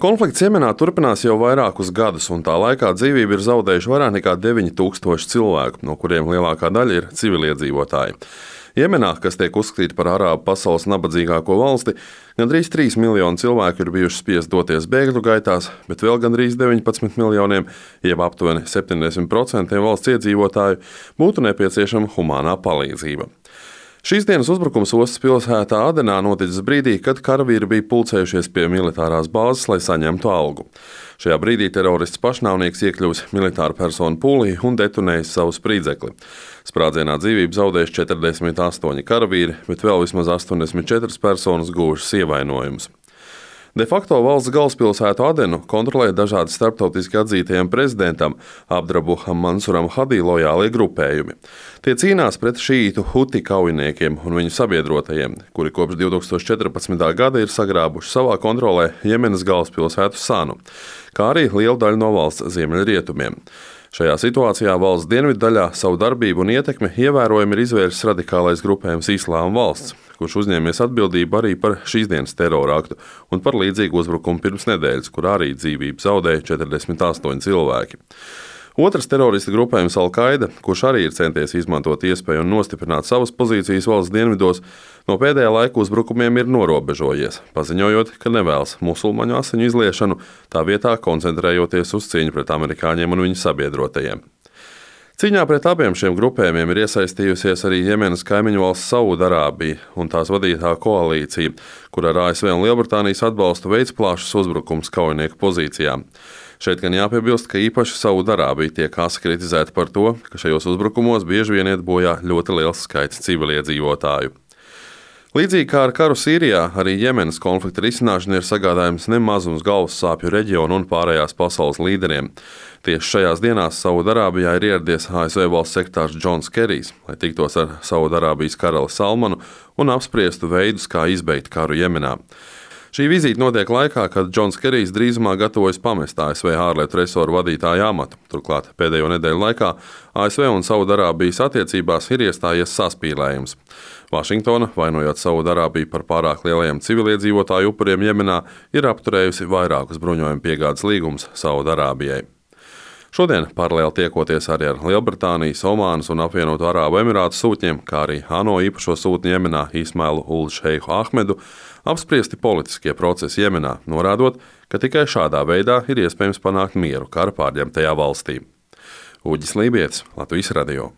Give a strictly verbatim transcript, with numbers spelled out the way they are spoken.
Konflikts Jemenā turpinās jau vairākus gadus, un tā laikā dzīvību ir zaudējuši vairāk nekā deviņi tūkstoši cilvēku, no kuriem lielākā daļa ir civiliedzīvotāji. Jemenā, kas tiek uzskatīta par arābu pasaules nabadzīgāko valsti, gandrīz trīs miljoni cilvēku ir bijuši spiest doties bēgļu gaitās, bet vēl gandrīz deviņpadsmit miljoniem, jeb aptuveni septiņdesmit procentiem valsts iedzīvotāju, būtu nepieciešama humānā palīdzība. Šīs dienas uzbrukums ostas pilsētā Adenā noticis brīdī, kad karavīri bija pulcējušies pie militārās bāzes, lai saņemtu algu. Šajā brīdī terorists pašnāvnieks iekļuvis militāru personu pūlī un detonējis savu sprīdzekli. Sprādzienā dzīvību zaudējuši četrdesmit astoņi karavīri, bet vēl vismaz astoņdesmit četras personas guvušas ievainojumus. De facto valsts galvaspilsētu Adenu kontrolē dažādi starptautiski atzītajiem prezidentam Abdrabuham Mansuram Hadī lojālie grupējumi. Tie cīnās pret šītu Huti kaujiniekiem un viņu sabiedrotajiem, kuri kopš divi tūkstoši četrpadsmitā gada ir sagrābuši savā kontrolē Jemenas galvaspilsētu Sanu, kā arī lielu daļu no valsts ziemeļrietumiem. Šajā situācijā valsts dienvidu daļā savu darbību un ietekmi ievērojami ir izvērsis radikālais grupējums Islāma valsts, kurš uzņēmies atbildību arī par šīs dienas teroraktu un par līdzīgu uzbrukumu pirms nedēļas, kur arī dzīvību zaudēja četrdesmit astoņi cilvēki. Otrs terorista grupējums Al-Qaida, kurš arī ir centies izmantot iespēju un nostiprināt savas pozīcijas valsts dienvidos, no pēdējā laika uzbrukumiem ir norobežojies, paziņojot, ka nevēlas musulmaņu asiņu izliešanu, tā vietā koncentrējoties uz cīņu pret amerikāņiem un viņu sabiedrotajiem. Cīņā pret abiem šiem grupējumiem ir iesaistījusies arī Jemenas kaimiņu valsts Saudarābija un tās vadītā koalīcija, kur ar A S V un Lielbritānijas atbalstu veids plašus uzbrukums kaujinieku pozīcijām. Šeit gan jāpiebilst, ka īpaši Saudarābija tiek asi kritizēta par to, ka šajos uzbrukumos bieži vien iet bojā ļoti liels skaits civiliedzīvotāju. Līdzīgi kā ar karu Sīrijā, arī Jemenas konflikta risināšana ir sagādājums nemazums galvas sāpju reģionu un pārējās pasaules līderiem. Tieši šajās dienās Saudarābijā ir ieradies A S V valsts sekretārs Džons Kerijs, lai tiktos ar Saudarābijas karali Salmanu un apspriestu veidus, kā izbeigt karu Jemenā. Šī vizīte notiek laikā, kad Džons Kerijs drīzumā gatavojas pamest A S V ārlietu resoru vadītāja amatu. Turklāt pēdējo nedēļu laikā A S V un Saudarābijas attiecībās ir iestājies saspīlējums. Vašingtona, vainojot Saudarābiju par pārāk lielajiem civiliedzīvotāju upuriem Jemenā, ir apturējusi vairākus bruņojumu piegādes līgumus Saudarābijai. Šodien paralēli tiekoties arī ar Lielbritānijas, Omānas un apvienoto Arābu Emirātu sūtņiem, kā arī ANO īpašo sūtni Jemenā Ismailu ul Šeihu Ahmedu, apspriesti politiskie procesi Jemenā, norādot, ka tikai šādā veidā ir iespējams panākt mieru kara pārņemtajā valstī. Uģis Lībietis, Latvijas radio.